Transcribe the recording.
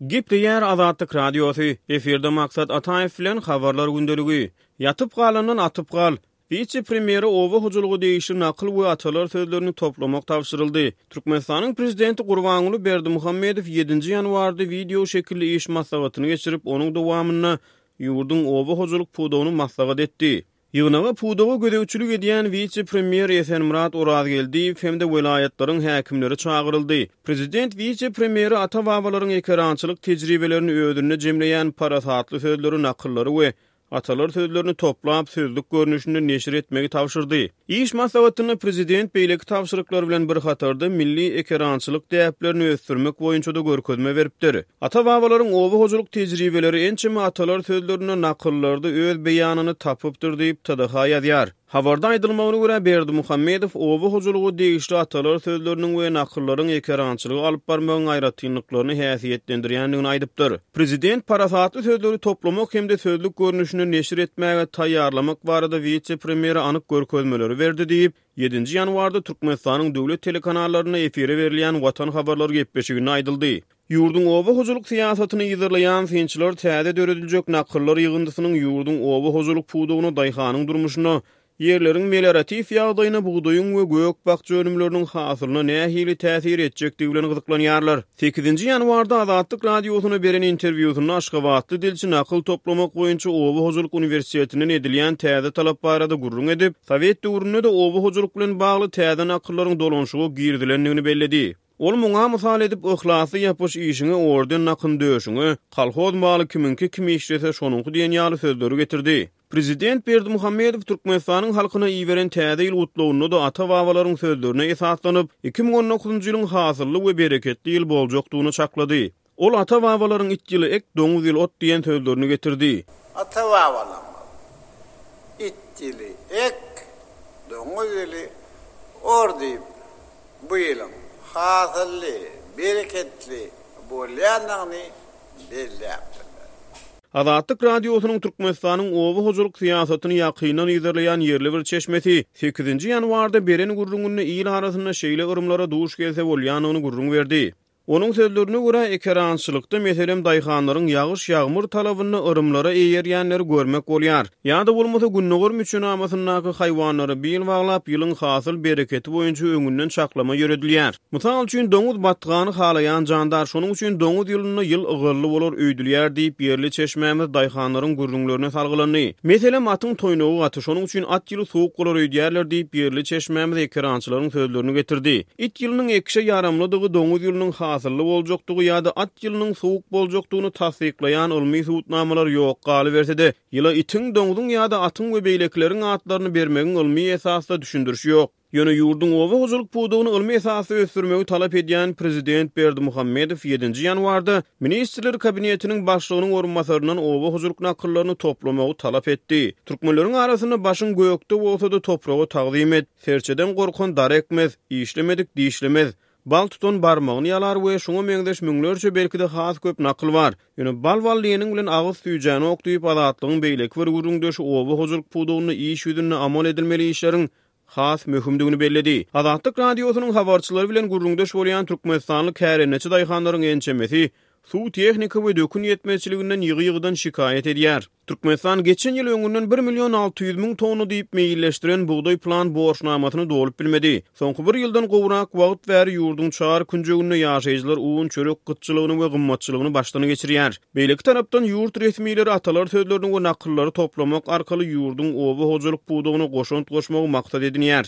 Gepleýär Azatlyk Radiosy, efirde Maksat Ataýew bilen Habarlar gündeligi. Ýatyp galandan atyp gal. Wise-premýere oba hojalyga degişli nakyl we atalar sözlerini toplamak tabşyryldy. Türkmenistanyň Prezidenti Gurbanguly Berdimuhamedow ýedinji ýanwarda wideo şekilli iş maslahatyny geçirip, onuň dowamynda ýurduň oba hojalyk pudagyny maslahat etdi. Ýygnaga pudaga gözegçilik edýän wise-premýer Esenmyrat Orazgeldiýew hem-de welaýatlaryň häkimleri çagyryldy. Prezident wise-premýere ata-babalaryň ekerançylyk tejribelerini özünde jemleýän parasatly sözleri, nakyllary we atalar sözlerini toplap, sözlük görnüşinde neşir etmegi tabşyrdy. Iş maslahatynda prezident beýleki tabşyryklar bilen bir hatarda, milli ekerançylyk däplerini ösdürmek boýunça-da görkezme beripdir. Ata-babalaryň oba hojalyk tejribeleri ençeme atalar sözlerinde, nakyllarda öz beýanyny tapypdyr diýip, TDH ýazýar. Habarda aýdylmagyna görä, Berdimuhamedow oba hojalyga degişli atalar sözleriniň we nakyllaryň ekerançylygy alyp barmagyň aýratynlyklaryny häsiýetlendirýändigini aýdypdyr. Prezident parasatly sözleri toplamak hem-de sözlük görnüşinde neşir etmäge taýýarlamak barada wise-premýere anyk görkezmeleri berdi diýip, ýedinji ýanwarda Türkmenistanyň döwlet telekanallarynda efire berilýän Watan habarlary gepleşiginde aýdyldy. Ýurduň oba hojalyk syýasatyny yzarlaýan synçylar täze dörediljek nakyllar ýygyndysynyň ýurduň oba hojalyk pudagyna, daýhanyň durmuşyna, ýerleriň melioratiw ýagdaýyna, bugdaýyň we gök-bakja önümleriniň hasylyna nähili täsir etjekdigi bilen gyzyklanýarlar. Sekizinji ýanwarda Azatlyk Radiosyna beren interwýusynda aşgabatly dilçi nakyl toplamak boýunça oba hojalyk uniwersitetinden edilýän täze talap barada gürrüň edip, sowet döwründe-de oba hojalyk bilen bagly täze nakyllaryň dolanyşyga girizilendigini belledi. Ol muňa mysal edip, Yhlasly ýapyş işiňe, orden dakyn döşüňe, kolhoz maly kimiňki, kim işlese şonuňky diýen ýaly sözleri getirdi. Prezident Berdimuhamedow Türkmenistanyň halkyna iberen Täze ýyl gutlagynda-da ata-babalaryň sözlerine esaslanyp, 2019-njy ýylyň hasylly we bereketli ýyl boljakdygyny çaklady. Ol ata-babalaryň It ýyly ek, doňuz ýyly ot diýen sözlerini getirdi. Ata-babalarymyz It ýyly ek, doňuz ýyly or diýip, bu ýylyň hasylly, bereketli bolýandygyny belläpdirler. Azatlyk Radiosynyň Türkmenistanyň oba hojalyk syýasatyny ýakyndan yzarlaýan ýerli bir çeşmesi sekizinji ýanwarda beren gürrüňinde il arasynda şeýle yrymlara duş gelse bolýandygyny gürrüň berdi. Onuň sözlerine görä, ekerançylykda, meselem, daýhanlaryň ýagyş-ýagmyr talabynda yrymlara eýerýänleri görmek bolýar. Ýa-da bolmasa, gündogar müçenamasyndaky haýwanlara bil baglap, ýylyň hasyl bereketi boýunça öňünden çaklama ýöredilýär. Mysal üçin, doňuz batgany halaýan jandar, şonuň üçin doňuz ýylynda ýyl ygally bolar öýdülýär diýip, ýerli çeşmämiz daýhanlaryň gürrüňlerine salgylandy. Meselem, atyň toýnagy gaty, şonuň üçin at ýyly sowuk bolar öýdýärler diýip, ýerli çeşmämiz ekerançylaryň sözlerini getirdi. It ýylynyň ekişe ýaramlydygy, doňuz ýylynyň hasylly boljakdygy ýa-da at ýylynyň sowuk boljakdygyny tassyklaýan ylmy subutnamalar ýok. Galyberse-de, ýyla itiň, doňzuň ýa-da atyň we beýlekileriň atlaryny bermegiň ylmy esasda düşündirişi ýok. Ýöne ýurduň oba hojalyk pudagyny ylmy esasda ösdürmegi talap edýän prezident Berdimuhamedow ýedinji ýanwarda Ministrler Kabinetiniň başlygynyň orunbasaryndan oba hojalyk nakyllaryny toplamagy talap etdi. Türkmenleriň arasynda Başyň gökde bolsa-da topraga tagzym et, Serçeden gorkan dar ekmez, işlemedik dişlemez, Bal tutan barmagyny ýalar we şuňa meňzeş müňlerçe belki-de has köp nakyl bar. Ýöne bal-bal diýeniň bilen agyz süýjänok diýip Azatlygyň beýleki bir gürrüňdeşi oba hojalyk pudagynda iş ýüzünde amal edilmeli işleriň has möhümdigini belledi. Azatlyk Radiosynyň habarçylary bilen gürrüňdeş bolýan türkmenistanly kärendeçi daýhanlaryň ençemesi suw, tehnika we dökün ýetmezçiliginden ýygy-ýygydan şikaýat edýär. Türkmenistan geçen ýyl öňünden bir million 600 müň tonna diýip meýilleşdiren bugdaý plan borçnamasyny dolup bilmedi. Soňky bir ýyldan gowrak wagt bäri ýurduň çar künjeginde ýaşaýjylar un, çörek gytçylygyny we gymmatçylygyny başdan geçirýär. Beýleki tarapdan, ýurt resmileri atalar sözlerini we nakyllary toplamak arkaly ýurduň oba hojalyk pudagyna goşant goşmagy maksat edinýär.